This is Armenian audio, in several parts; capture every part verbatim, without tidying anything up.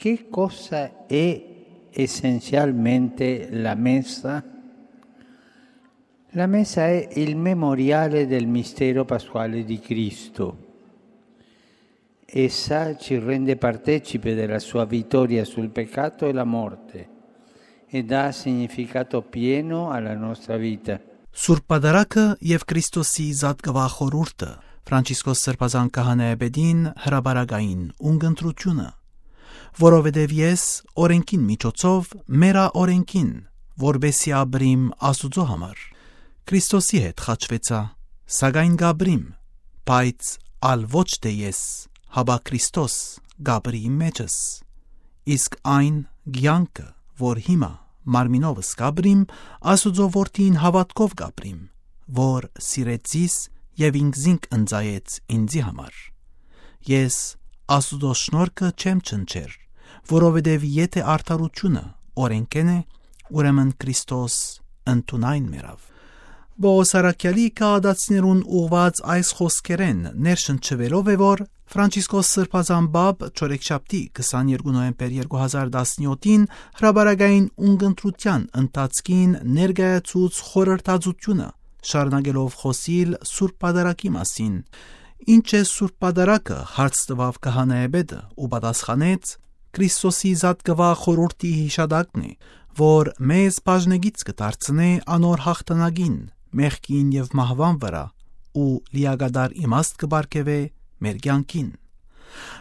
Che cosa è essenzialmente la messa? La messa è il memoriale del mistero pasquale di Cristo. Essa ci rende partecipe della sua vittoria sul peccato e la morte e dà significato pieno alla nostra vita. Սուրբ Պատարագը եւ Քրիստոսի զատկվախորուրդը Ֆրանցիսկոս Սրբազան քահանայապետին հրաբարագային ունգընտրությունը, որովհետև ես օրենքին միջոցով մերա օրենքին, որբեսի աբրիմ Աստուծո համար, Քրիստոսի հետ խաչվեցա, սակայն գաբրիմ, բայց ալ ոչ թե ես, հաբա Քրիստոս գաբրի մեջս, իսկ այն գյանքը, որ հիմա մարմինովս գաբրիմ, Աստուծո որդին հավատքով գաբրիմ, որ սիրեցիս եւ ինքզինք ընծայեց ինձի համար։ Ես Աստուծո շնորհքը չեմ չնչեր, որովհետեւ եթե արդարությունը օրենքեն է, ուրեմն Քրիստոս ընդունայն մերավ։ Բողոս Արաքյալի կահադացիներուն ուղված այս խոսքերեն ներշնչվելով է, որ Ֆրանցիսկոս Սրբազան բաբ չորեքշաբթի քսաներկու նոյեմբեր երկու հազար տասնյոթին հրաբարագային ունգընտրության ընթացքին ներկայացուց խորհրդածությունը, շարունակելով խոսիլ Սուրբ Պատարագի մասին, ինչ է Սուրբ Պատարագը, հարց տվավ քահանայապետը ու պատասխանեց. Քրիստոսի զատկվա խորհրդի հիշադակն է, որ մեզ բաժնեգից կդարձնե անոր հաղթանակին, մեղքին եւ մահվան վրա ու լիագադար իմաստ կբարգեւե մեր կյանքին։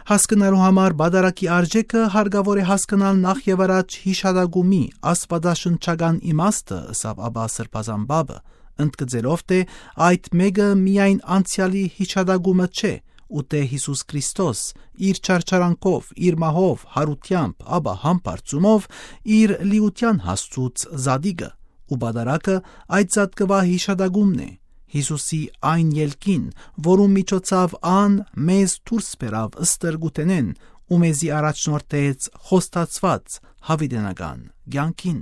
Հասկանալու համար Պատարագի արժեքը հարկավոր է հասկանալ նախ եւ առաջ հիշադակումի աստվածաշնչական իմաստը, ըստ Աբա Սրբազան բաբը, ընդգծելով թե այդ մեկը միայն անցյալի հիշադակումը չէ, ու թե Հիսուս Քրիստոս իր չարչարանքով, իր մահով, հարությամբ, ապա համբարձումով իր լիության հասցուց զադիգը, ու Պատարագը այդ զատկվա հիշադակումն է, Հիսուսի այն ելքին, որում միջոցով ան մեզ դուրս բերավ ըստրգութենեն ու մեզի առաջնորդեց խոստացված հավիտենական կյանքին։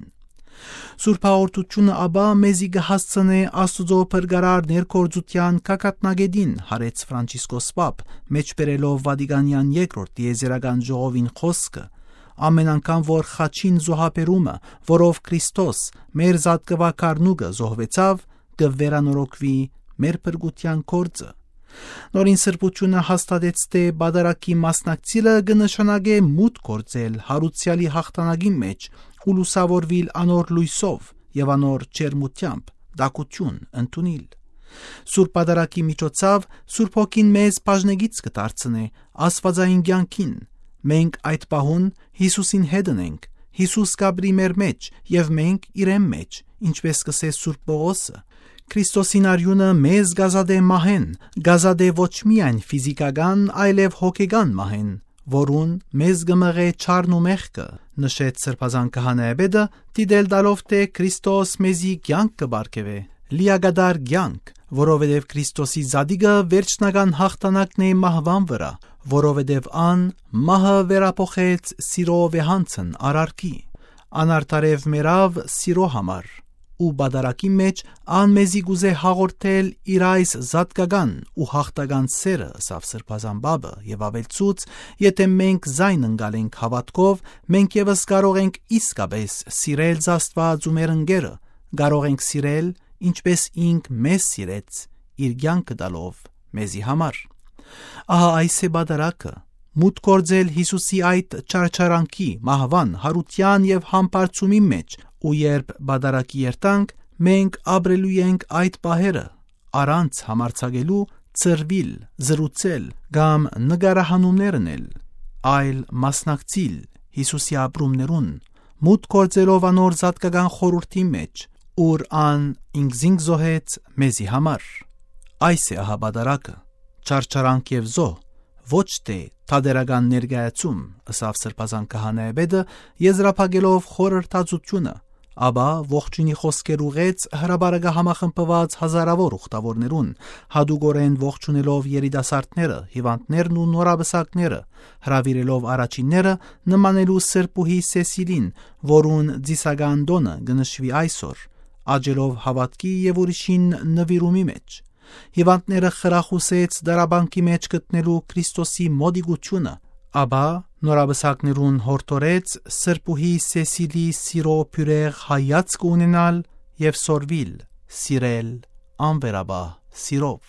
Սուրբ հաղորդությունը ապա մեզի կհասցնե Աստուծո փրկարար ներկործության կակատնագետին, հարեց Ֆրանցիսկոս պապ, մեջբերելով Վատիկանյան երկրորդ տիեզերական ժողովին խոսքը, ամեն անգամ որ խաչին զոհաբերումը, որով Քրիստոս մեր զատկվա կառնուկը զոհվեցավ, կվերանորոգվի մեր փրկության գործը։ Նորին սրբությունը հաստատեց, թե Պատարագի մասնակցելը կնշանակե մուտք գործել հարուցյալի հաղթանակի մեջ ու լուսավորվիլ անոր լույսով եւ անոր ջերմությամբ դակություն ընդունել։ Սուրբ Պատարագի միջոցով Սուրբ Հոգին մեզ բաժնեգից կդարձնե աստվածային կյանքին։ Մենք այդ պահուն Հիսուսին հետ ենք, Հիսուս կաբրի մեր մեջ եւ մենք իրեն մեջ, ինչպես կսե Սուրբ Պողոսը։ Քրիստոսին արյունը մեզ գազադե մահեն, գազադե ոչ միայն ֆիզիկական, այլև հոգեգան մահեն, որուն մեզ գմղե չարն ու մեղքը, նշեց Սրբազան քահանայապետը, դիտել տալով թե Քրիստոս մեզի կյանք կբարգեւե, լիագադար կյանք, որովհետև Քրիստոսի զադիգը վերջնական հաղթանակն է մահվան վրա, որովհետև ան մահը վերափոխեց սիրո վեհանցն արարքի, անարդարև մերավ սիրո համար, ու Պատարագի մեջ ան մեզի գուզե հաղորդել իր այս զատկական ու հաղթական սերը, ըստ Սրբազան բաբը, եւ ավելցուց, եթե մենք զայն ընկալենք հավատքով, մենք եւս կարող ենք իսկապես սիրել Աստված ու մեր ընկերը, կարող ենք սիրել, ինչպես ինք մեզ սիրեց, իր կյանքը տալով մեզի համար։ Ահա այս է Պատարագը, մուտք գործել Հիսուսի այդ չարչարանքի, մահվան, հարության եւ համբարձումի մեջ, ու երբ Պատարագի երտանք, մենք ապրելու ենք այդ պահերը, առանց համարձակելու, ծրվիլ, զրուցել կամ նկարահանումներ անել, այլ մասնակցիլ Հիսուսի ապրումներուն, մուտք գործելով անոր զատկական խորհրդի մեջ, ուր ան ինքզինք զոհեց մեզի համար։ Այս է ահա Պատարագը, չարչարանք եւ զոհ, ոչ թե թադերական ներկայացում, ըստ Սրբազան քահանայապետը, եզրափակելով խորհրդածությունը, ապա ողջունի խոսքեր ուղեց հրաբարագը համախմբված հազարավոր ուխտավորներուն, հադուգորեն ողջունելով երիտասարդները, հիվանդներն ու նորաբսակները, հրավիրելով առաջինները նմանելու սրբուհի Սեսիլին, որուն ծիսական տոնը գնշվի այսօր, աջելով հավատքի եւ ուրիշին նվիրումի մեջ։ Հիվանդները խրախուսեց դարաբանքի մեջ գտնելու Քրիստոսի մոդիգությունը, ապա Նորաբսակներուն հորտորեց սրբուհի Սեսիլի սիրո փյուրեղ հայացք ունենալ եւ սորվիլ, սիրել անվերաբահ սիրով։